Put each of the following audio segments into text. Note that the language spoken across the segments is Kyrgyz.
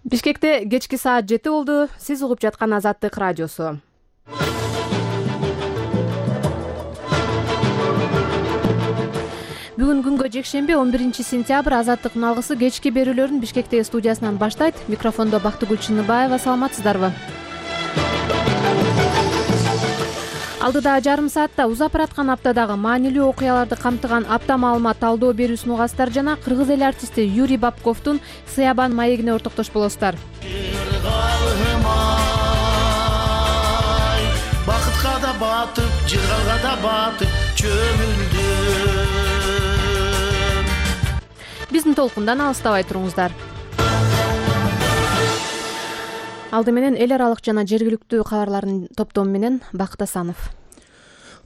Бишкекте кечки саат 7 болду. Сиз угуп жаткан Азаттык радиосу. Бүгүн күнгө жекшемби 11-сентябрь Азаттыктын алгысы кечки берүүлөрүн Бишкектеги студиясынан баштайт. Микрофондо Бактыгүл Чыныбаева. Саламатсыздарбы? Алдыда жарым саатта узап бараткан аптадагы маанилүү окуяларды камтыган апта маалымат талдоо берүүсүн угасыздар жана кыргыз эл артисти Юрий Бабковдун Сыябан маегине ортоктош болосуздар. Бакытка да батып, жыргалга да батып чөмүлдүм. Биздин толкундан алыстабай туруңуздар. Алды менен эл аралык жана жергиликтүү кабарлардын топтому менен Бакыт Асанов.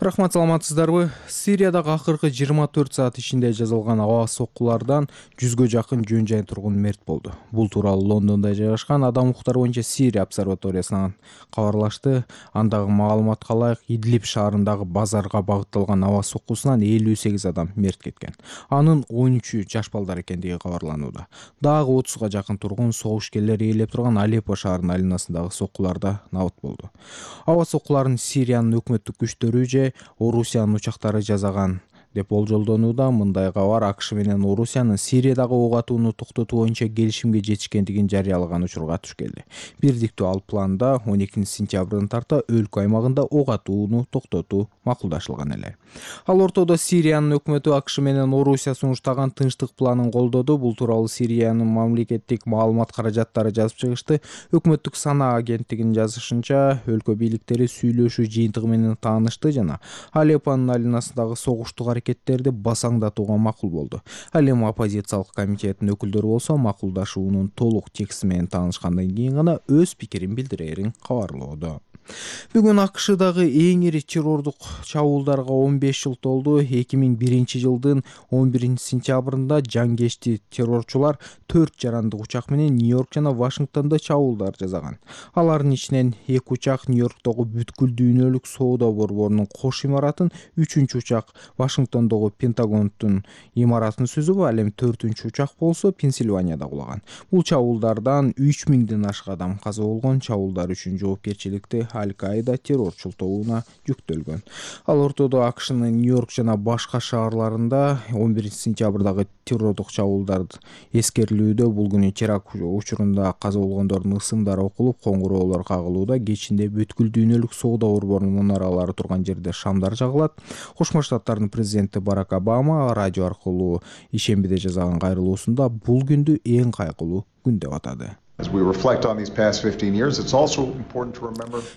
Рахмат, саламатсыздарбы? Сириядагы акыркы 24 саат ичинде жазылган аба соккулардан 100гө жакын жөн жай тургун мерт болду. Бул тууралуу Лондондо жайгашкан Адам укуктары боюнча Сирия обсерваториясынан кабарлашты. Андагы маалыматка ылайык Идлиб шаарындагы базарга багытталган аба соккусунан 58 адам мерт кеткен. Анын 13-ü жаш балдар экендиги кабарланууда. Дагы 30га жакын тургун согушкерлер ээлеп турган Алеппо шаарынын айланасындагы соккуларда набыт болду. Аба соккуларын Сириянын өкмөттүк күчтөрү же Орусиянын учактары жасаган деп болжолдонууда. Мындай кабар АКШ менен Орусиянын Сириядагы ок атууну токтотуу боюнча келишимге жетишкендигин жарыялаган учурга туш келди. Бирдиктүү ал планда 12-сентябрдан тарта өлкө аймагында ок атууну токтотуу макулдашылган эле. Ал ортодо Сириянын өкмөтү АКШ менен Орусия сунуштаган тынчтык планын колдоду. Бул тууралуу Сириянын мамлекеттик маалымат каражаттары жазып чыгышты. Өкмөттүк Сана агенттигинин жазышынча, өлкө бийликтери сүйлөшүү жыйынтыгы менен таанышты жана Алеппонун айланасындагы согуштук аракеттерди басаңдатууга макул болду. Ал эми оппозициялык комитеттин өкүлдөрү болсо макулдашуунун толук тексти менен таанышкандан кийин гана өз пикирин билдирерин кабарлоодо. Бүгүн АКШдагы эң ири террордук чабуулдарга 15 жыл толду. 2001 жылдын 11-сентябрында жангечти террорчулар 4 жарандык учак менен Нью-Йорк жана Вашингтондо чабуулдар жасаган. Алардын ичинен 2 учак Нью-Йорктогу бүткүл дүйнөлүк соода борборунун кош имаратын, 3-үчү учак Вашингтондогу Пентагондун имаратын сүзүп, ал эми 4-үчү учак болсо Пенсильванияда кулаган. Бул чабуулдардан 3000ден ашык адам каза болгон. Чабуулдар үчүн жоопкерчиликти Аль-Каида террорчул тобуна жүктөлгөн. Ал ортодо АКШнын Нью-Йорк жана башка шаарларында 11-сентябрдагы террордук чабуулдар эскерилүүдө. Бул күнү теракт учурунда каза болгондордун ысымдары окулуп, коңгуроолор кагылууда. Кечинде бүткүл дүйнөлүк соода борборунун мунаралары турган жерде шамдар жагылат. Кошмо Штаттардын президенти Барак Обама радио аркылуу ишембиде жасаган кайрылуусунда бул күндү эң кайгылуу күн деп атады.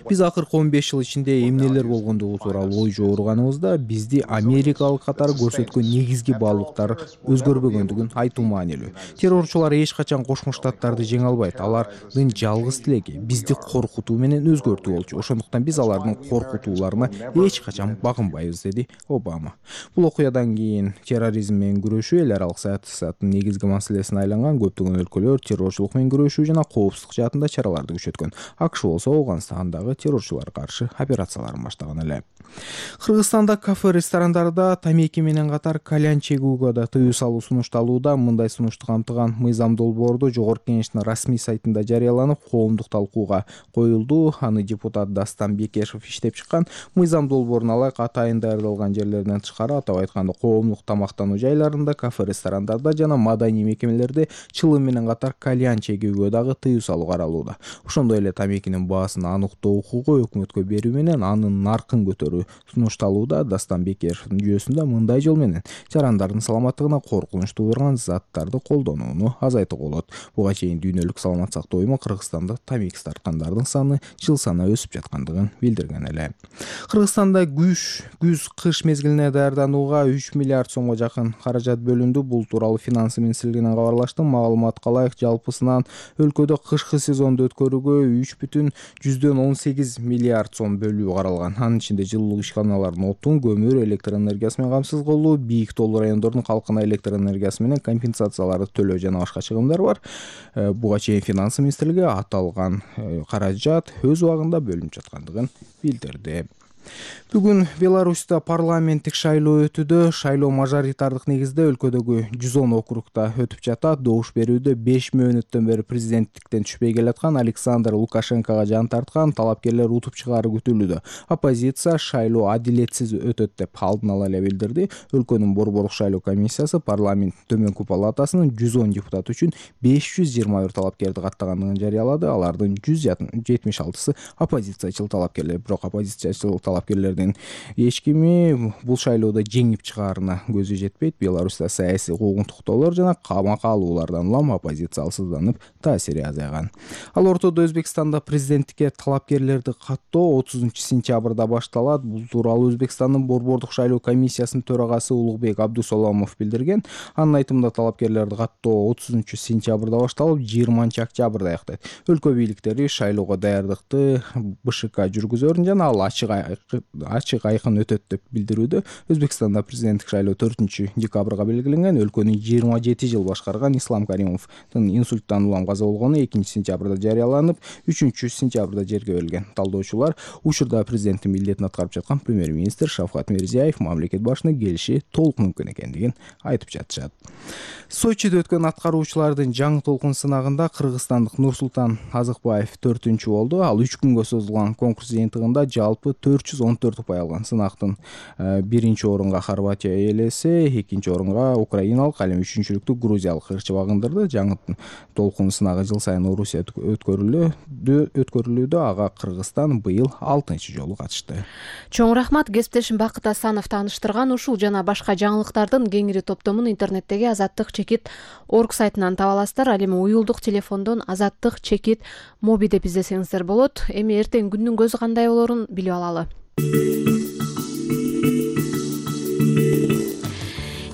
Биз акыркы 15 жыл ичинде эмнелер болгондугу тууралуу ой жооруганыбызда бизди америкалык катары көрсөткөн негизги баалуулуктар өзгөрбөгөндүгүн айтуу маанилүү. Террорчулар эч качан Кошмо Штаттарды жеңе албайт. Алардын жалгыз тилеги бизди коркутуу менен өзгөртүү болчу. Ошондуктан биз алардын коркутууларына эч качан багынбайбыз, деди Обама. Бул окуядан кийин терроризм менен күрөшүү эл аралык саясаттын негизги маселесине айланган. Көптөгөн өлкөлөр террорчулук менен күрөшүү жана коопсуздук жаатында чараларды күчөткөн. АКШ болсо Афганстандагы террорчуларга каршы операцияларын баштаган эле. Кыргызстанда кафе, ресторандарда тамеки менен катар кальян чегүүгө да тыюу салуу сунушталууда. Мындай сунушту камтыган мыйзам долбоорду Жогорку Кеңештин расмий сайтында жарыяланып, коомдук талкууга коюлду. Аны депутат Дастан Бекешев иштеп чыккан. Мыйзам долбоорун алайык атайын даярдалган жерлерден тышкары, атап айтканда коомдук тамактануу жайларында, кафе, ресторандарда жана маданий мекемелерде чылым менен катар кальян чегүүгө дагы тыюу салуу каралууда. Ошондой эле тамекинин баасын аныктоо укугу өкмөткө берүү менен анын наркын көтөрүү сунушталууда. Дастан Бекешевдин жүйөсүндө мындай жол менен жарандардын саламаттыгына коркунуч туудурган заттарды колдонууну азайтууга болот. Буга чейин дүйнөлүк саламат сактоо уюму Кыргызстанда тамеки тарткандардын саны жыл санаа өсүп жаткандыгын билдирген эле. Кыргызстанда күз-кыш мезгилине даярданууга 3 миллиард сомго жакын каражат бөлүндү. Бул тууралуу Финансы министрлигинен кабарлашты. Маалыматка ылайык жалпысынан өлкөдө кышкы сезонду өткөрүүгө 3,18 миллиард сом бөлүү каралган. Анын ичинде жылуулук ишканаларын отун, көмүр, электр энергиясы менен камсыз кылуу, бийик тоолуу райондордун калкына электр энергиясы менен компенсацияларды төлөө жана башка чыгымдар бар. Буга чейин Финансы министрлиги аталган каражат өз убагында бөлүнүп жаткандыгын билдирди. Бүгүн Беларуська парламенттик шайлоо өтүүдө. Шайлоо мажоритардык негизде өлкөдөгү 110 округда өтүп жатат. Добуш берүүдө 5 мөөнөттөн бери президенттиктен түшпөй келаткан Александр Лукашенкого жан тарткан талапкерлер утуп чыгаары күтүлүүдө. Оппозиция шайлоо адилетсиз өтөт деп алдын ала эле билдирди. Өлкөнүн борборлук шайлоо комиссиясы парламенттин төмөнкү палатасынын 110 депутаты үчүн 521 талапкерди каттагандыгын жарыялады. Алардын 176-сы оппозициячыл талапкерлер. Бирок оппозициячыл талапкерлердин эч кими бул шайлоодо жеңип чыгаарына көзү жетпейт. Беларуська саясий куугунтуктоолор жана камакка алуулардан улам оппозиция алсызданып, таасири азайган. Ал ортодо Өзбекстанда президенттикке талапкерлерди каттоо 30-сентябрда башталат. Бул тууралуу Өзбекстандын борборлук шайлоо комиссиясынын төрагасы Улукбек Абдусаламов билдирген. Анын айтымында талапкерлерди каттоо 30-сентябрда башталып, 20-октябрда аяктайт. Өлкө бийликтери шайлоого даярдыкты БШК жүргүзөрүн жана ал ачык айкын өтөт деп билдирүүдө. Өзбекстанда президенттик шайлоо 4-декабрга белгиленген. Өлкөнү 27 жыл башкарган Ислам Каримовдун инсульттан улам каза болгону 2-сентябрда жарыяланып, 3-сентябрда жерге берилген. Талдоочулар учурда президенттин милдетин аткарып жаткан премьер-министр Шавкат Мирзиёев мамлекет башына келиши толук мүмкүн экендигин айтып жатышат. Сочиде өткөн аткаруучулардын жаңы толкун сынагында кыргызстандык Нурсултан Азыкбаев 4-чү болду. Ал 3 күнгө созулган конкурс жыйынтыгында жалпы 414 упай алган. Сынактын 1-чи орунга Хорватия ээлесе, 2-чи орунга украиналык, ал эми 3-чүлүктү грузиялык ырчы багындырды. Жаңы толкун сынагы жыл сайын Орусияда өткөрүлүүдө. Ага Кыргызстан быйыл 6-чы жолу катышты. Чоң рахмат. Кесиптешим Бакыт Асанов тааныштырган ушул жана башка жаңылыктардын кеңири топтомун интернеттеги azattik.org сайтынан таба аласыздар. Ал эми уюлдук телефондон azattik моби деп издесеңиздер болот. Эми эртең күндүн көзү кандай болорун билип алалы.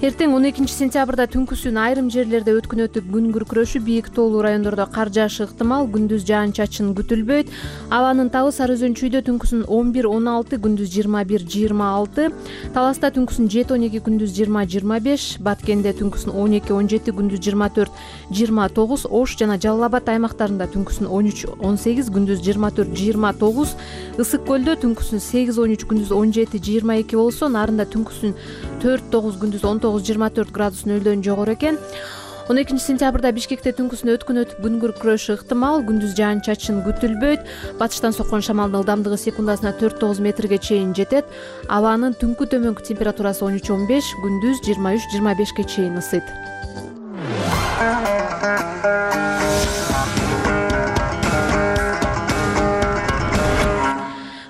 Эртең 12-сентябрда түнкүсүн айрым жерлерде өткүн өтүп, күн күркүрөшү, бийик тоолуу райондордо кар жаашы ыктымал, күндүз жаан-чачын күтүлбөйт. Абанын табы Сары Өзөнчүйдө түнкүсүн 11-16, күндүз 21-26, Таласта түнкүсүн 7-12, күндүз 20-25, Баткенде түнкүсүн 12-17, күндүз 24-29, Ош жана Жалал Абад аймактарында түнкүсүн 13-18, күндүз 24-29, Ысык көлдө түнкүсүн 8-13, күндүз 17-22 болсо, Нарында түнкүсүн 4-9, күндүз 19-24 градус нөлдөн жогору экен. 12-сентябрда Бишкекте түнкүсүн өткүн өтүп, күн күркүрөшү ыктымал, күндүз жаан-чачын күтүлбөйт. Батыштан соккон шамалдын ылдамдыгы секундасына 4-9 метрге чейин жетет. Абанын түнкү төмөнкү температурасы 13-15, күндүз 23-25 чейин ысыйт.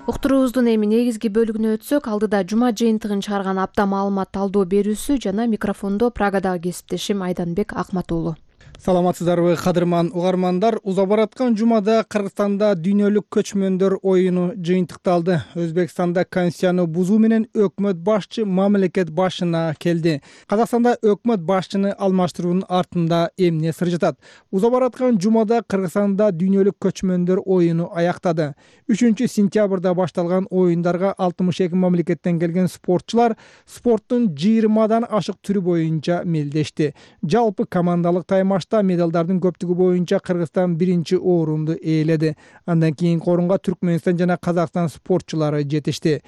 Уктуруубуздун эми негизги бөлүгүнө өтсөк, алдыда жума жыйынтыгын чыгарган апта маалымат талдоо берүүсү жана микрофондо Прагадагы кесиптешим Айданбек Акматуулу. Саламатсыздарбы, кадырман угармандар. Уза бараткан жумада Кыргызстанда дүйнөлүк көчмөндөр оюну жыйынтыкталды. Өзбекстанда конституцияны бузуу менен өкмөт башчы мамлекет башына келди. Казакстанда өкмөт башчыны алмаштыруунун артында эмне сыр жатат? Уза бараткан жумада Кыргызстанда дүйнөлүк көчмөндөр оюну аяктады. 3-сентябрда башталган оюндарга 62 мамлекеттен келген спортчулар спорттун 20дан ашык түрү боюнча мелдешти. Жалпы командалык таймашта медалдардын көптүгү боюнча Кыргызстан 1-чи орунду ээледи. Андан кийинки орунга Түркмөнстан жана Казакстан спортчулары жетишти.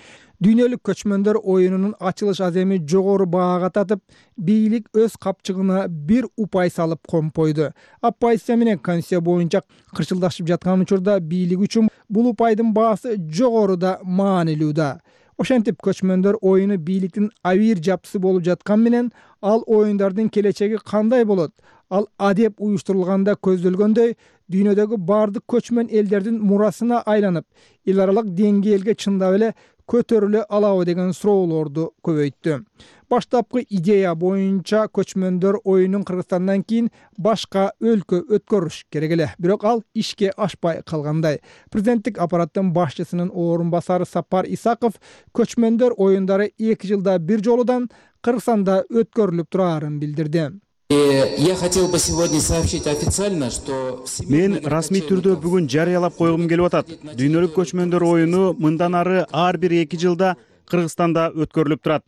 Дүйнөлүк көчмөндөр оюнунун ачылыш аземи жогору баага татып, бийлик өз капчыгына 1 упай салып компойду. Оппозиция менен конституция боюнча кырчылдашып жаткан учурда бийлик үчүн бул упайдын баасы жогоруда маанилүү да. Ошентип көчмөндөр оюну бийликтин авир жапчысы болуп жаткан менен, ал оюндардын келечеги кандай болот? Ал адеп уюштурулганда көздөлгөндөй, дүйнөдөгү бардык көчмөн элдердин мурасына айланып, эл аралык деңгээлге чындап эле көтөрүлө алабы деген суроолорду көбөйттү. Баштапкы идея боюнча көчмөндөр оюнун Кыргызстандан кийин башка өлкө өткөрүш керек эле. Бирок ал ишке ашпай калгандай. Президенттик аппараттын башчысынын орун басары Сапар Исаков көчмөндөр оюндары 2 жылда бир жолудан Кыргызстанда өткөрүлүп турарын билдирди. Я хотел бы сегодня сообщить официально, что мен расмий түрдө бүгүн жарыялап койгум келип атат. Дүйнөлүк көчмөндөр оюну мындан ары ар бир 2 жылда Кыргызстанда өткөрүлүп турат.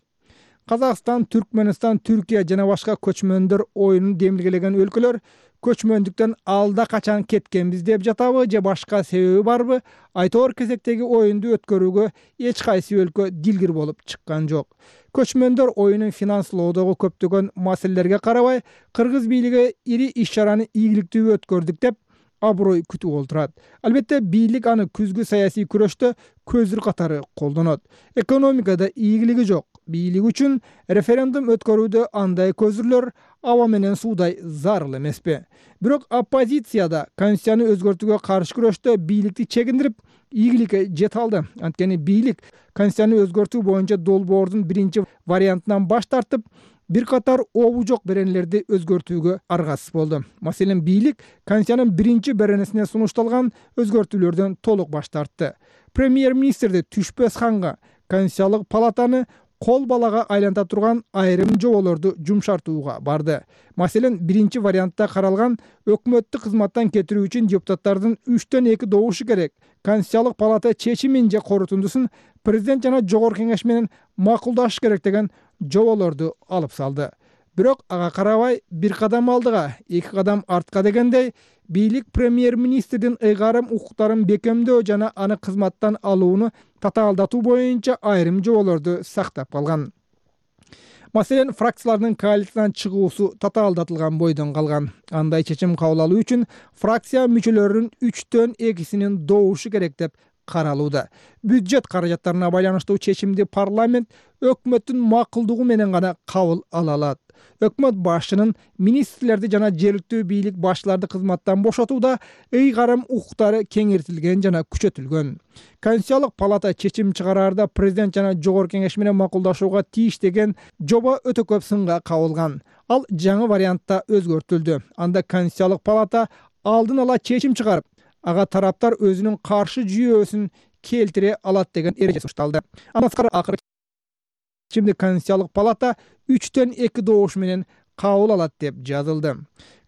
Казакстан, Түркмөнстан, Түркия жана башка көчмөндөр оюнун демилгелеген өлкөлөр көчмөндүктөн алда качан кеткенбиз деп жатабы же башка себеби барбы? Айтор кезектеги оюнду өткөрүүгө эч кайсы өлкө дилгир болуп чыккан жок. Көчмөндөр оюнун финанслоодогу көптөгөн маселелерге карабай, кыргыз бийлиги ири иш-чараны ийгиликтүү өткөрдүк деп аброй күтүп олтурат. Албетте бийлик аны күзгү саясий күрөштө көзүр катары колдонот. Экономикада ийгилиги жок. Бийлик үчүн референдум өткөрүүдө андай көзүрлөр аба менен суудай зарыл эмеспи. Бирок оппозицияда конституцияны өзгөртүүгө каршы күрөштө бийликти чегиндирип, ийгиликке жете алды. Анткени бийлик конституцияны өзгөртүү боюнча долбоордун биринчи вариантынан баш тартып, бир катар обу жок беренелерди өзгөртүүгө аргасыз болду. Маселен, бийлик конституциянын биринчи беренесине сунушталган өзгөртүүлөрдөн толук баш тартты. Премьер-министрди Түшпөс ханга Конституциялык палатаны кол балага айланта турган айрым жоболорду жумшартууга барды. Маселен, биринчи вариантта каралган өкмөттүк кызматтан кетирүү үчүн депутаттардын 3/2 добушу керек. Конституциялык палата чечимин же корутундусун президент жана жогорку кеңеш менен макулдашыш керек деген жоболорду алып салды. Бирок ага карабай бир кадам алдыга, эки кадам артка дегендей, бийлик премьер-министрдин ыйгарым укуктарын бекемдөө жана аны кызматтан алууну татаалдатуу боюнча айрым жоболорду сактап калган. Маселен, фракциялардын коалициядан чыгуусу татаалдатылган бойдон калган. Андай чечим кабыл алуу үчүн фракция мүчөлөрүнүн 3/2 добушу керек деп каралууда. Бюджет каражаттарына байланыштуу чечимди парламент өкмөттүн макулдугу менен гана кабыл ала алат. Өкмөт башчынын министрлерди жана жергиликтүү бийлик башчыларды кызматтан бошотууда ыйгарым укуктары кеңейтилген жана күчөтүлгөн. Конституциялык палата чечим чыгараарда президент жана жогорку кеңеш менен макулдашууга тийиш деген жоба өтө көп сынга кабылган. Ал жаңы вариантта өзгөртүлдү. Анда Конституциялык палата алдын ала чечим чыгарып, ага тараптар өзүнүн каршы жүйөөсүн келтире алат деген эреже сунушталды. Андан акыры чечимди Конституциялык палата 3/2 добуш менен кабыл алат деп жазылды.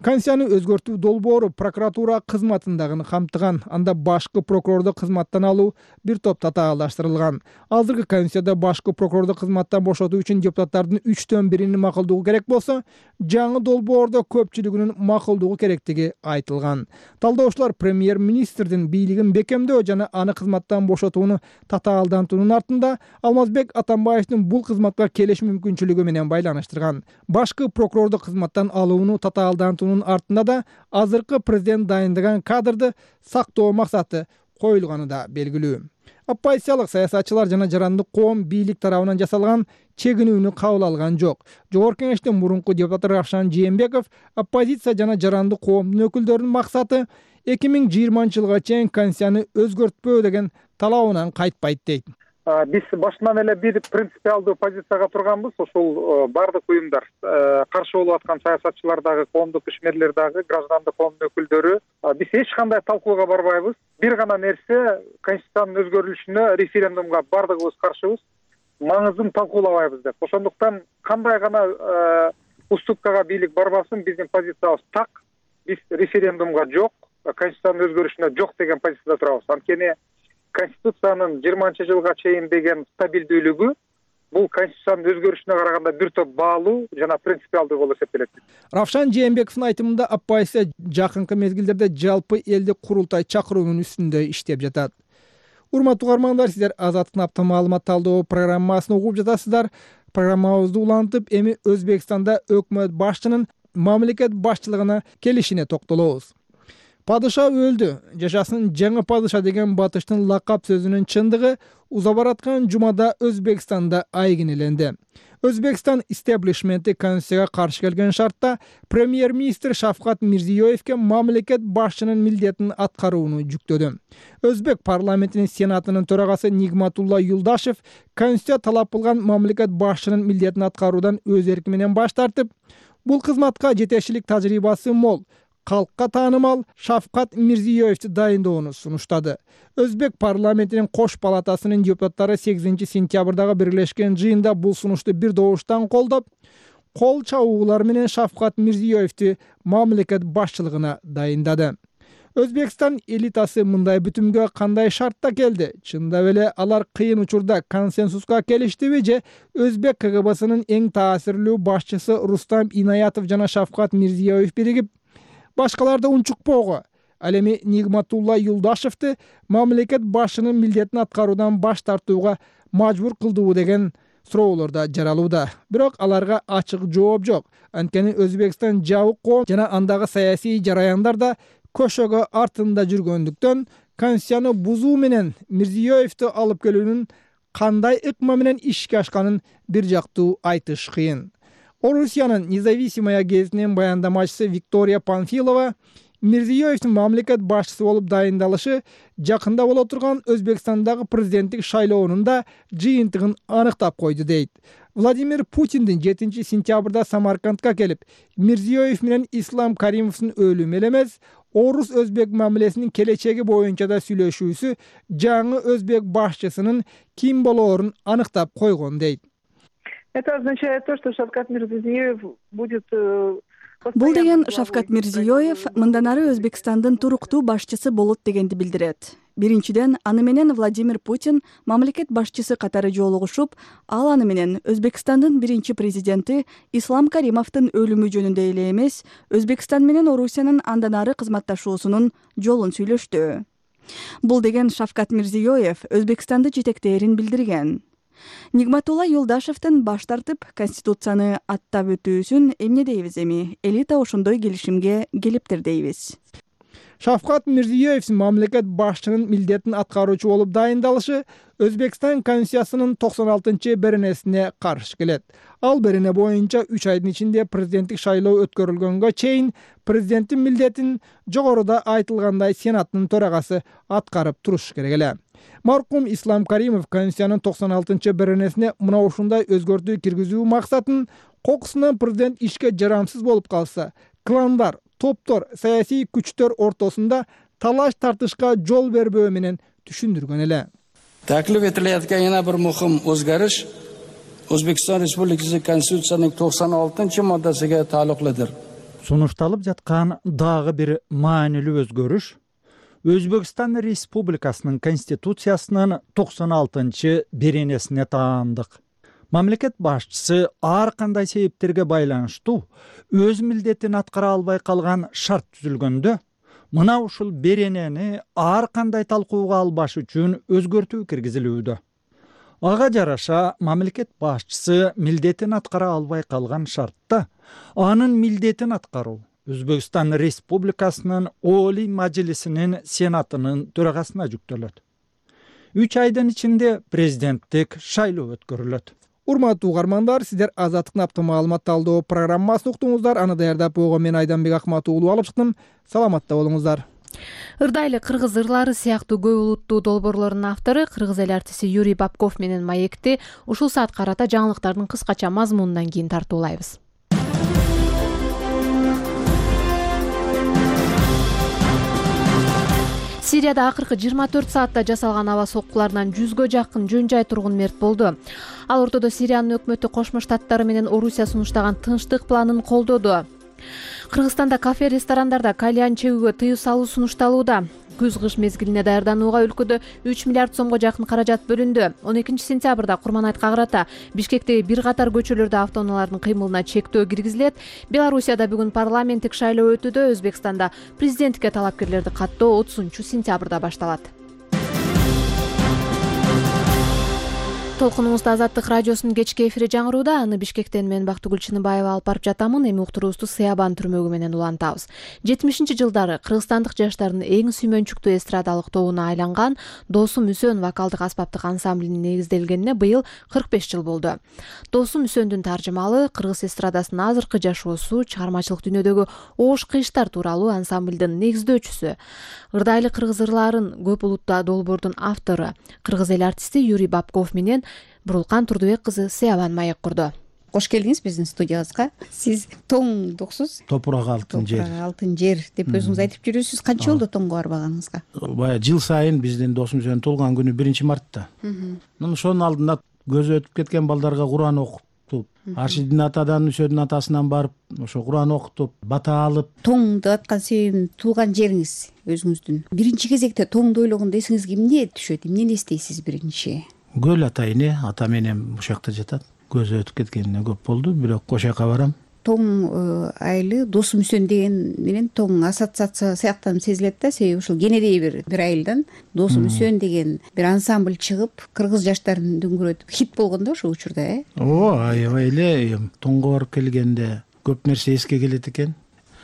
Конституцияны өзгөртүү долбоору прокуратура кызматындагы камтыган. Анда башкы прокурорду кызматтан алуу бир топ татаалдаштырылган. Азыркы Конституцияда башкы прокурорду кызматтан бошотуу үчүн депутаттардын 3/1 макулдугу керек болсо, жаңы долбоордо көпчүлүгүнүн макулдугу керектиги айтылган. Талдоочулар премьер-министрдин бийлигин бекемдөө жана аны кызматтан бошотууну татаалдантуунун артында Алмазбек Атамбаевдин бул кызматка келиш мүмкүнчүлүгү менен байланыштырган. Башкы прокурорду кызматтан алууну татаалдантуунун артында да азыркы президент дайындаган кадрды сактоо максаты коюлганы да белгилүү. Оппозициялык саясатчылар жана жарандык коом бийлик тарабынан жасалган чегинүүнү кабыл алган жок. Жогорку кеңештин мурунку депутаты Равшан Жээнбеков оппозиция жана жарандык коомдун өкүлдөрүнүн максаты 2020-жылга чейин конституцияны өзгөртпөө деген талабынан кайтпайт дейт. Биз башынан эле бир принципиалдуу позицияга турганбыз. Ошол бардык уюмдар, каршы болуп аткан саясатчылар дагы, коомдук ишмерлер дагы, граждандык коомдун өкүлдөрү. Биз эч кандай талкууга барбайбыз. Бир гана нерсе, конституциянын өзгөрүлүшүнө референдумга бардыгыбыз каршыбыз. Маңызын талкуулабайбыз деп. Ошондуктан кандай гана уступкага бийлик барбасын, биздин позициябыз так. Биз референдумга жок, конституциянын өзгөрүшүнө жок деген позицияда турабыз. Анткени Конституциянын 20-жылга чейин деген стабилдүүлүгү бул конституциянын өзгөрүшүнө караганда бир топ баалуу жана принципиалдуу болуп эсептелет. Равшан Жээнбековдун айтымында оппозиция жакынкы мезгилдерде жалпы элдик курултай чакыруунун үстүндө иштеп жатат. Урматтуу угармандар, сиздер Азаттык апта маалымат талдоо программасын угуп жатасыздар. Программабызды улантып, эми Өзбекстанда өкмөт башчынын мамлекет башчылыгына келишине токтолобуз. Падыша өлдү. Жашасын жаңы падыша деген батыштын лакап сөзүнүн чындыгы уза бараткан жумада Өзбекстанда айгинеленди. Өзбекстан истеблишменти конституцияга каршы келген шартта премьер-министр Шавкат Мирзиёевке мамлекет башчынын милдетин аткарууну жүктөдү. Өзбек парламентинин сенатынын төрагасы Нигматулла Юлдашев конституция талап кылган мамлекет башчынын милдетин аткаруудан өз эрки менен баш тартып, бул кызматка жетекчилик тажрыйбасы мол, калкка таанымал Шавкат Мирзиёевди дайындоону сунуштады. Өзбек парламентинин кош палатасынын депутаттары 8-сентябрдагы биргелешкен жыйында бул сунушту бир добуштан колдоп, кол чабуулар менен Шавкат Мирзиёевди мамлекет башчылыгына дайындады. Өзбекстан элитасы мындай бүтүмгө кандай шартта келди? Чындап эле алар кыйын учурда консенсуска келиштиби же Өзбек КГБсынын эң таасирлүү башчысы Рустам Инаятов жана Шавкат Мирзиёев биригип башкаларды унчукпоого, ал эми Нигматулла Юлдашевди мамлекет башчынын милдетин аткаруудан баш тартууга мажбур кылдыбы деген суроолор да жаралууда. Бирок аларга ачык жооп жок. Анткени Өзбекстан жабык коом жана андагы саясий жараяндар да көшөгө артында жүргөндүктөн конституцияны бузуу менен Мирзиёевди алып келүүнүн кандай ыкма менен ишке ашканын бир жактуу айтыш кыйын. Орусиянын Независимая гезитинин баяндамачысы Виктория Панфилова Мирзиёевдин мамлекет башчысы болуп дайындалышы жакында боло турган Өзбекстандагы президенттик шайлоонун да жыйынтыгын аныктап койду дейт. Владимир Путиндин 7 сентябрда Самаркандка келип, Мирзиёев менен Ислам Каримовдун өлүмү эле эмес, орус-өзбек мамилесинин келечеги боюнча да сүйлөшүүсү жаңы өзбек башчысынын ким болоорун аныктап койгон дейт. Это означает то, что Шавкат Мирзиёев будет... Бул деген Шавкат Мирзиёев мындан ары Өзбекстандын туруктуу башчысы болот дегенди билдирет. Биринчиден, аны менен Владимир Путин мамлекет башчысы катары жолугушуп, ал аны менен Өзбекстандын биринчи президенти Ислам Каримовдун өлүмү жөнүндө эле эмес, Өзбекстан менен Орусиянын андан ары кызматташуусунун жолун сүйлөштү. Бул деген Шавкат Мирзиёев Өзбекстанды жетектээрин билдирген. Нигматулла Юлдашевдин баш тартып конституцияны аттап өтүүсүн эмне дейбиз эми? Элита ошондой келишимге келиптир дейбиз. Шавкат Мирзиёев мамлекет башчынын милдетин аткаруучу болуп дайындалышы Өзбекстан конституциясынын 96-беренесине каршы келет. Ал берене боюнча 3 айдын ичинде президенттик шайлоо өткөрүлгөнгө чейин президенттин милдетин жогоруда айтылгандай Сенаттын төрагасы аткарып туруш керек эле. Маркум Ислам Каримов конституциянын 96-беренесине мына ушундай өзгөртүү киргизүү максатын кокусунан президент ишке жарамсыз болуп калса, кландар, топтор, саясий күчтөр ортосунда талаш тартышка жол бербөө менен түшүндүргөн эле. Taklif etilayotgan yana bir muhim o'zgarish O'zbekiston Respublikasi Konstitutsiyasining 96-moddasiga taalluqlidir. Сунушталып жаткан дагы бир маанилүү өзгөрүш Өзбекстан Республикасынын Конституциясынын 96-беренесине таандык. Мамлекет башчысы ар кандай себептерге байланыштуу өз милдетин аткара албай калган шарт түзүлгөндө, мына ушул беренени ар кандай талкууга албаш үчүн өзгөртүү киргизилүүдө. Ага жараша мамлекет башчысы милдетин аткара албай калган шартта анын милдетин аткаруу Өзбекстан Республикасынын Олий Мажлисинин Сенатынын төрагасына жүктөлөт. 3 айдын ичинде президенттик шайлоо өткөрүлөт. Урматтуу угармандар, сиздер Азаттыктын апта маалымат талдоо программасын уктуңуздар. Аны даярдап койгон мен Айданбек Акматов уулу алып чыктым. Саламатта болуңуздар. Ырдайлы кыргыз ырлары сыяктуу көп улуттуу долбоорлордун автору кыргыз эл артисти Юрий Бабков менен маекти ушул саат карата жаңылыктардын кыскача мазмунунан кийин тартуулайбыз. Сирияда акыркы 24 саатта жасалган аба соккуларынан 100гө жакын жөн-жай тургун мерт болду. Ал ортодо Сириянын өкмөтү Кошмо Штаттары менен Орусия сунуштаган тынчтык планын колдоду. Кыргызстанда кафе, ресторандарда кальян чегүүгө тыюу салуу сунушталууда. Күз-кыш мезгилине даярданууга өлкөдө 3 миллиард сомго жакын каражат бөлүндү. 12 сентябрда Курманайткага карата Бишкектеги бир катар көчөлөрдө автоунаалардын кыймылына чектөө киргизилет. Белоруссияда бүгүн парламенттик шайлоо өтүүдө. Өзбекстанда президенттикке талапкерлерди каттоо 30 сентябрда башталат. Толкунубузда Азаттык радиосунун кечки эфири жаңырууда. Аны Бишкектен мен Бактыгүл Чыныбаева алып барып жатамын. Эми уктуруубузду Сыябан түрмөгү менен улантабыз. 70-жылдары кыргызстандык жаштардын эң сүймөнчүктүү эстрадалык тобуна айланган Досум Үсөн вокалдык аспаптык ансамблинин негизделгенине быйыл 45 жыл болду. Досум Үсөндүн таржымалы кыргыз эстрадасынын азыркы жашоосу, чыгармачылык дүйнөдөгү оош кыйыштар тууралуу ансамблдин негиздөөчүсү. Ырдайлы кыргыз ырларын көп улуттуу долбоордун автору кыргыз эл артисти Юрий Бабков менен Бурулкан Турдубек кызы Сыябан маек курду. Кош келдиңиз биздин студиябызга. Сиз тоңдуксуз. Топурак алтын жер. Алтын жер деп өзүңүз айтып жүрөсүз. Канча болду тоңго барбаганыңызга? Баягы жыл сайын биздин Досум Үсөнүн туулган күнү 1-мартта. Ошонун алдында көзү өтүп кеткен балдарга Куран окутуп, Аршидин атадан Үсөдүн атасынан барып ошо Куран окутуп, бата алып. Тоң деп аткан себебин туулган жериңиз өзүңүздүн биринчи кезекте тоңду ойлогондо эсиңизге эмне түшөт, эмнени эстейсиз биринчи? Көл атайыны, ата менен ушул жакта жатат. Көзү өтүп кеткенине көп болду, бирок ошол жака барам. Тоң айылы досум үсөн деген менен тоң ассоциация сыяктанып сезилет да, себеби ушул кенедей бир айылдан досум үсөн деген бир ансамбль чыгып, кыргыз жаштарын дүңгүрөтүп хит болгон да ошол учурда, Аябай эле тоңго барып келгенде көп нерсе эске келет экен.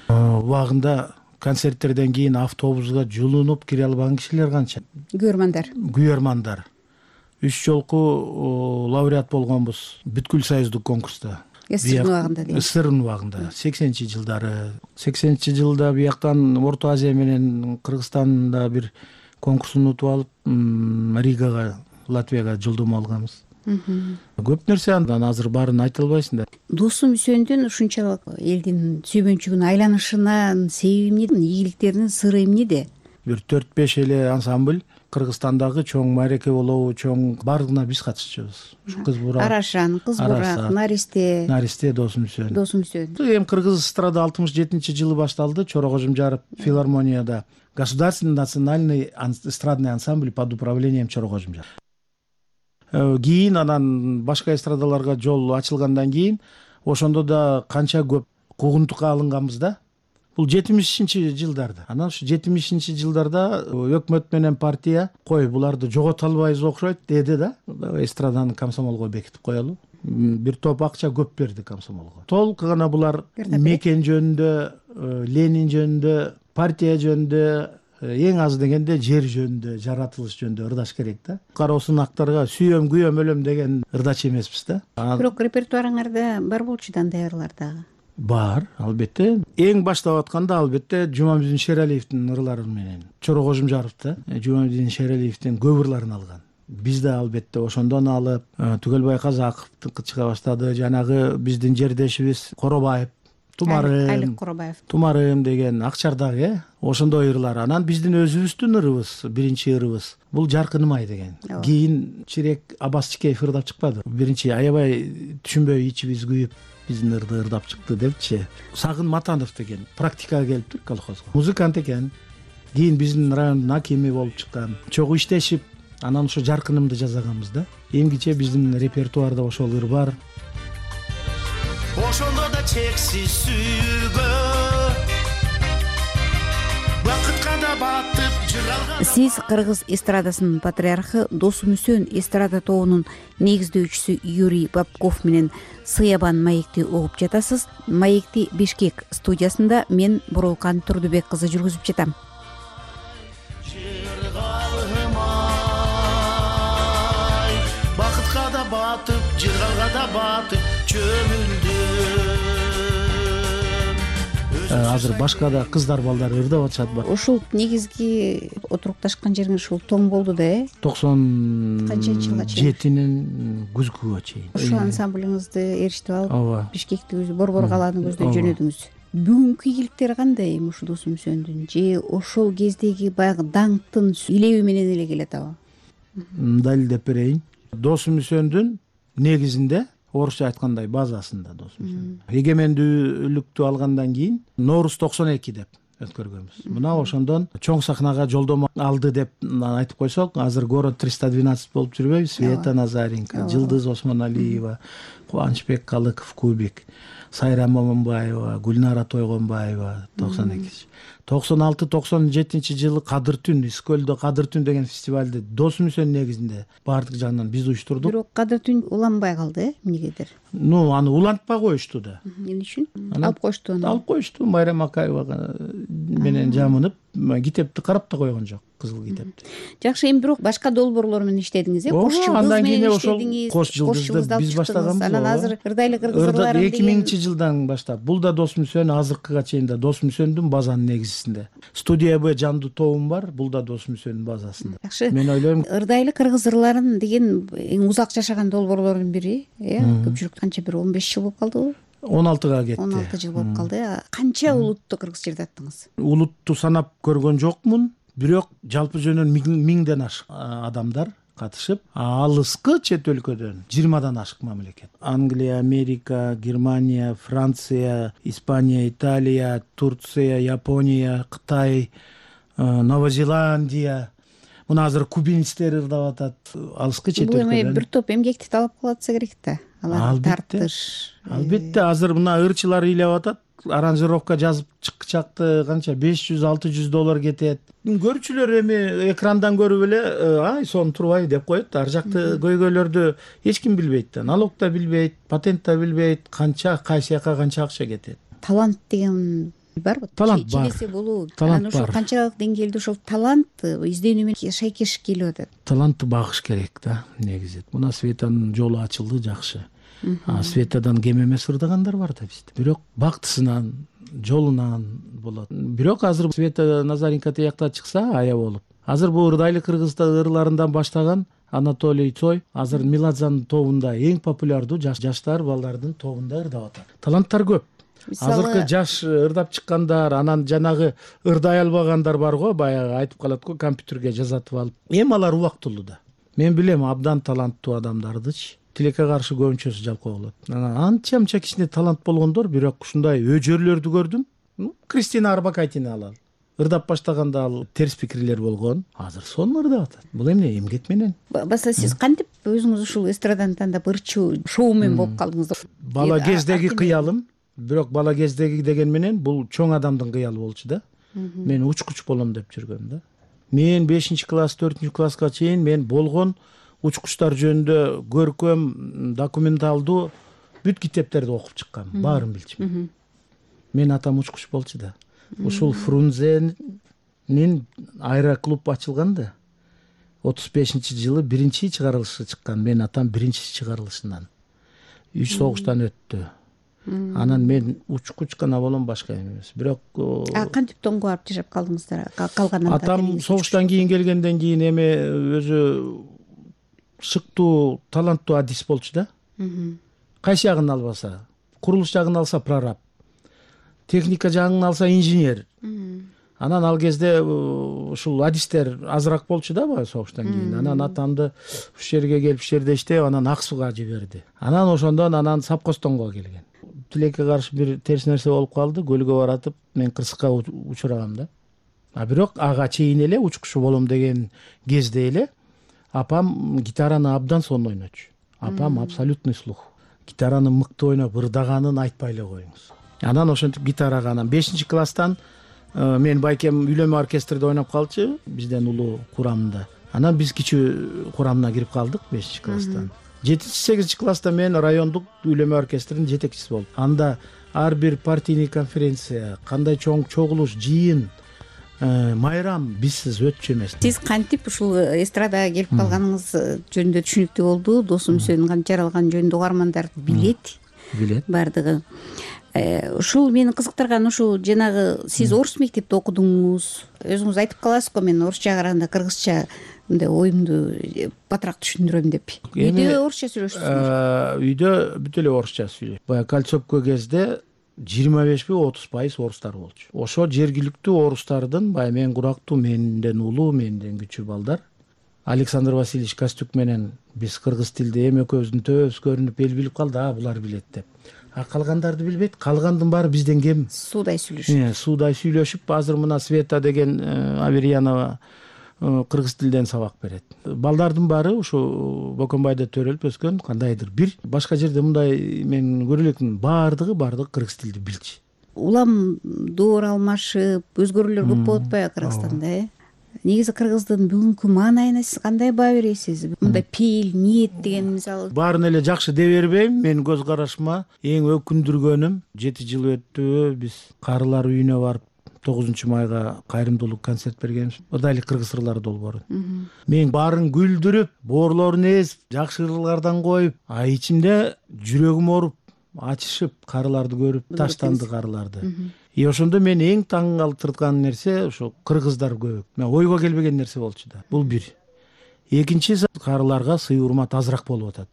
Убагында концерттерден кийин автобуска жулунуп кире албаган кишилер канча. Күйөрмандар. 3 жолку лауреат болгонбуз бүткүл союздук конкурста. СССР убагында 80-жылдары жылда бияктан Орто Азия менен Кыргызстанда бир конкурстун утуп алып, Ригага, Латвияга жолдомо алганбыз. Көп нерсе андан азыр баарын айта албайсың да. Досум үсөндүн ушунчалык элдин сүйбөнчүгүнө айланышынын себеби эмне, ийгиликтеринин сыры эмнеде? Бир 4-5 эле ансамбль Кыргызстандагы чоң маареке болобу, чоң бардыгына биз катышчубуз. Кыз бурак, Арашан, Кыз бурак, Наристе, Досум үсөн. Эми кыргыз эстрада 67-жылы башталды. Чора Кожумжаров филармонияда государственный национальный эстрадный ансамбль под управлением Чора Кожумжаров. Кийин анан башка эстрадаларга жол ачылгандан кийин ошондо да канча көп куугунтукка алынганбыз да. Бул 70-жылдарда. Анан ушу 70-жылдарда өкмөт менен партия кой буларды жогото албайбыз окшойт деди да. Эстраданы комсомолго бекитип коелу. Бир топ акча көп берди комсомолго. Толук гана булар мекен жөнүндө, Ленин жөнүндө, партия жөнүндө, эң аз дегенде жер жөнүндө, жаратылыш жөнүндө ырдаш керек да. Кароосун актарга сүйөм, күйөм, өлөм деген ырдач эмеспиз да. Бирок репертуарыңарда бар болчу Дандаялар дагы. Бар, албетте. Эң баштап атканда албетте Жумамедин Шералиевдин ырлары менен Чора Кожумжаров да Жумамедин Шералиевдин көп ырларын алган. Биз да албетте ошондон алып, Түгөлбай Казаковдун чыга баштады. Жанагы биздин жердешибиз Коробаев, Тумарым деген Акчардагы ошондой ырлар. Анан биздин өзүбүздүн ырыбыз, биринчи ырыбыз бул Жаркыным ай деген. Кийин Чирек Аббас Чикеев ырдап чыкпады. Биринчи аябай түшүнбөй ичибиз күйүп биздин ырды ырдап чыкты депчи. Сагын Матанов деген практикага келиптир колхозго. Музыкант экен. Кийин биздин райондун акими болуп чыккан. Чогуу иштешип, анан ошо Жаркынымды жасаганбыз да. Эмгиче биздин репертуарда ошол ыр бар. Ошондо да чексиз сүйгө бакытка да батып жыралган. Сиз кыргыз эстрадасынын патриархы Досум үсөн эстрада тобунун негиздөөчүсү Юрий Бабков менен Сыябан маекти угуп жатасыз. Маекти Бишкек студиясында мен Бурулкан Турдубек кызы жүргүзүп жатам. Бакытка да батып, жыргалга да батып чөмүлдүм. Азыр башка да кыздар балдар ырдап атышат бар. Ушул негизги отурукташкан жериңиз ушул тоң болду да, 97-нин күзгүгө чейин. Ушул ансамблиңизди ээрчитип алып, Бишкекти Борбор калааны көздөй жөнөдүңүз. Бүгүнкү ийгиликтери кандай ушул Досум үсөндүн? Же ошол кездеги баягы даңктын илеби менен эле келет аба? Мындай деп берейин. Досум үсөндүн негизинде орусча айткандай базасында Досум үсөн. Эгемендүүлүктү алгандан кийин Нооруз 92 деп өткөргөнбүз. Мына ошондон чоң сахнага жолдомо алды деп айтып койсок, азыр город 312 болуп жүрбөйбү? Света Назаренко, Жылдыз Осмоналиева, Кубанычбек Калыков, Кубик, Сайра Момунбаева, Гүлнара Тойгонбаева 92. 96-97 жылы Кадыр түн, Искөлдө Кадыр түн деген фестивалды Досум үсөн негизинде баардык жагынан биз уюштурдук. Бирок Кадыр түн уланбай калды, эмнегедир? Аны улантпай коюшту да. Эмне үчүн? Алып коюшту аны. Алып коюшту, Майрам Акаева менен жамынып, китепти карап да койгон жок, кызыл китепти. Жакшы, эми бирок башка долбоорлор менен иштедиңиз, Кош жылдыз менен иштедиңиз. Кош жылдызды биз баштаганбыз. Анан азыр ырдайлы кыргыз ырларын 2000-жылдан баштап. Бул да Досум үсөн азыркыга чейин да Досум үсөндүн базанын негизисинде. Студия Б жандуу тобум бар, бул да Досум үсөнүн базасында. Жакшы. Мен ойлойм, ырдайлы кыргыз ырларын деген эң узак жашаган долбоорлордун бири, көпчүлүк канча бир 15 жыл болуп калдыбы? 16-га кетти. 16 жыл болуп калды. Канча улутту кыргыз жерде аттыңыз? Улутту санап көргөн жокмун, бирок жалпы жөнүнөн 1000ден ашык адамдар катышып, алыскы чет өлкөдөн 20дан ашык мамлекет. Англия, Америка, Германия, Франция, Испания, Италия, Турция, Япония, Кытай, Новозеландия, мына азыр кубинецтер ырдап атат, алыскы чет бул өлкөдөн. эми бир топ эмгекти талап кылып атса керек да, аларды тартыш. Албетте, азыр мына ырчылар ыйлап атат, аранжировка жазып чыкчакты канча $500-600 кетет. Көрүүчүлөр эми экрандан көрүп эле ай сон турбай деп коет. Ар жакты көйгөйлөрдү эч ким билбейт да, налог да билбейт, патент да билбейт, канча кайсы жака канча акча кетет. Талант деген барбы? Талант бар. Чилесе болуу. Талант ошол бар. канчалык деңгээлде ошол талант изденүү менен шайкеш келип атат. Талантты багыш керек да, негизи. Мына Светанын жолу ачылды, жакшы. Светадан кем эмес ырдагандар бар да бизде. Бирок бактысынан, жолунан болот. Бирок азыр Света Назаренко тиякта чыкса ая болуп. Азыр бул ырдайлы кыргызстан ырларынан баштаган Анатолий Цой азыр Меладзанын тобунда эң популярдуу жаштар балдардын тобунда ырдап атат. Таланттар көп. Азыркы жаш ырдап чыккандар, анан жанагы ырдай албагандар бар го, баягы айтып калат го, компьютерге жазатып алып. Эми алар убактылуу да. Мен билем абдан таланттуу адамдардычы. Тилекке каршы көбүнчөсү жалкоо болот. Анча кичине талант болгондор, бирок ушундай өжөрлөрдү көрдүм. Кристина Арбакайтины алалы. Ырдап баштаганда ал терс пикирлер болгон. Азыр сонун ырдап атат. Бул эмне эмгек менен. Баса сиз кантип өзүңүз ушул эстраданы тандап ырчуу шоумен болуп калдыңыз? Бала кездеги кыялым, бирок бала кездеги деген менен бул чоң адамдын кыялы болчу да. Мен учкуч болом деп жүргөм да. Мен 5-класс, 4-класска чейин мен болгон учкучтар жөнүндө көркөм, документалдуу бүт китептерди окуп чыккам, баарын билчүмүн. Мен атам учкуч болчу да. Ушул Фрунзенин аэроклуб ачылганда 35-жылы биринчи чыгарылышы чыккан. Мен атам биринчи чыгарылышынан. 3 согуштан өттү. Анан мен учкуч гана болом, башка эмес. Бирок кантип тоңго барып жашап калдыңыздар? Калган атам согуштан кийин келгенден кийин эми өзү шыктуу, таланттуу адис болчу да. Кайсы жагын албаса, курулуш жагын алса прораб, техника жагын алса инженер. Анан ал кезде ушул адистер азыраак болчу да баягы согуштан кийин. Анан атамды ушул жерге келип ушул жерде иштеп, анан ак сууга жиберди. Анан ошондон анан Сапкостонго келген. Тилекке каршы бир терс нерсе болуп калды, көлгө баратып мен кырсыкка учурагам да. Бирок ага чейин эле учкуч болом деген кезде эле апам гитараны абдан сонун ойночу. Апам абсолютный слух. Гитараны мыкты ойноп, ырдаганын айтпай эле коюңуз. Анан ошентип гитарага анан 5-класстан мен байкем үйлөнмө оркестрде ойноп калчу, бизден улуу курамында. Анан биз кичүү курамына кирип калдык 5-класстан. 7-8-класста мен райондук үйлөнмө оркестринин жетекчиси болдум. Анда ар бир партийный конференция, кандай чоң чогулуш, жыйын, майрам бизсиз өтчү эмес. Сиз кантип ушул эстрадага келип калганыңыз жөнүндө түшүнүктүү болду. Досу Мүсөнүн кантип жаралганын жөнүндө угармандар билет. Бардыгы. Ушул мени кызыктырган ушул жанагы сиз орус мектепте окудуңуз. Өзүңүз айтып каласыз го, мен орусча караганда кыргызча мындай оюмду батыраак түшүндүрөм деп. Үйдө орусча сүйлөшөсүзбү? Үйдө бүт эле орусча сүйлөйм. Баягы Кольцовко кезде 25-30% орустар болчу. Ошо жергиликтүү орустардын баягы мен курактуу, менден улуу, менден күчүү балдар. Александр Васильевич Костюк менен биз кыргыз тилде эми экөөбүздүн төбөбүз көрүнүп эл билип калды, булар билет деп. Калгандарды билбейт, калгандын баары бизден кем. Суудай сүйлөшүп. Суудай сүйлөшүп, азыр мына Света деген Аверьянова кыргыз тилден сабак берет. Балдардын баары ушу Бокомбайда төрөлүп өскөн, кандайдыр бир башка жерде мындай мен көрө элекмин, баардыгы кыргыз тилди билчү. Улам доор алмашып, өзгөрүүлөр көп болуп атпайбы Кыргызстанда, Негизи кыргыздын бүгүнкү маанайына сиз кандай баа бересиз? Мындай пейил, ниет деген мисалы. Баарын эле жакшы деп бербейм. Менин көз карашыма эң өкүндүргөнүм 7 жыл өттү, биз карылар үйүнө барып 9 майга кайрымдуулук концерт бергенбиз. Ырдайлы кыргыз ырлары долбоорун. Мен баарын күлдүрүп, боорлорун эзип, жакшы ырлардан коюп, ичимде жүрөгүм ооруп, ачышып карыларды көрүп, таштанды карыларды. Ошондо мен эң таң калтырган нерсе ошо кыргыздар көп. Мен ойго келбеген нерсе болчу да. Бул бир. Экинчиси карыларга сый урмат азыраак болуп атат.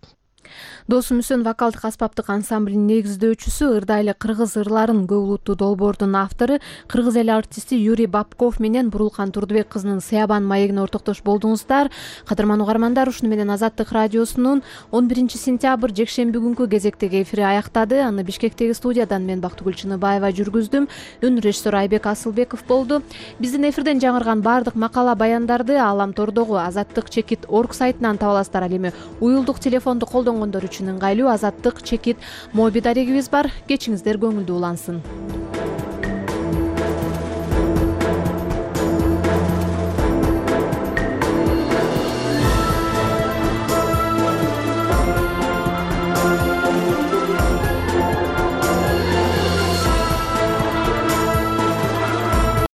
Досу Мүсөн вокалдык аспаптык ансамблинин негиздөөчүсү, ырдайлы кыргыз ырларын көп улуттуу долбоордун автору, кыргыз эли артисти Юрий Бабков менен Бурулкан Турдубек кызынын Сыябан маегине ортоктош болдуңуздар. Кадырман угармандар, ушуну менен Азаттык радиосунун 11 сентябрь жекшемби күнкү кезектеги эфири аяктады. Аны Бишкектеги студиядан мен Бактыгүл Чыныбаева жүргүздүм. Үн режиссер Айбек Асылбеков болду. Биздин эфирден жаңырган баардык макала баяндарды Ааламтордогу azattik.org сайтынан таба аласыздар. Ал эми уюлдук телефонду колдонгондор үчүн ыңгайлуу Азаттык чекит моби дарегибиз бар. Кечиңиздер көңүлдүү улансын.